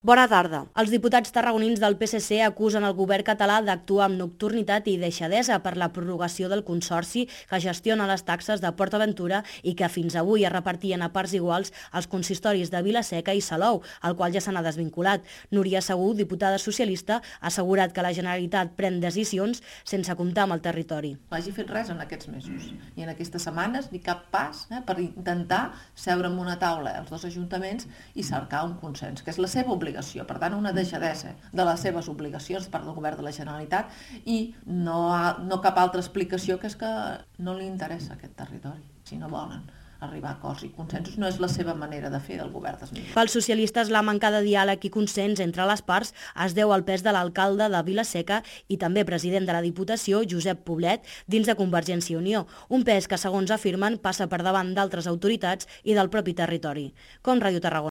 Bona tarda. Els diputats tarragonins del PSC acusen el govern català d'actuar amb nocturnitat i deixadesa per la prorrogació del consorci que gestiona les taxes de PortAventura i que fins avui es repartien a parts iguals als consistoris de Vila-seca i Salou, el qual ja se n'ha desvinculat. Núria Segú, diputada socialista, ha assegurat que la Generalitat pren decisions sense comptar amb el territori. No hagi fet res en aquests mesos i en aquestes setmanes ni cap pas per intentar seure en una taula els dos ajuntaments i cercar un consens, que és la seva obligació. Per tant, una deixadesa de les seves obligacions per part del govern de la Generalitat i no cap altra explicació que és que no li interessa aquest territori. Si no volen arribar a acords i consensos, no és la seva manera de fer del govern d'Esmilla. Pels socialistes, la manca de diàleg i consens entre les parts es deu al pes de l'alcalde de Vila-seca i també president de la Diputació, Josep Poblet, dins de Convergència i Unió. Un pes que, segons afirmen, passa per davant d'altres autoritats i del propi territori. Com Ràdio Tarragona.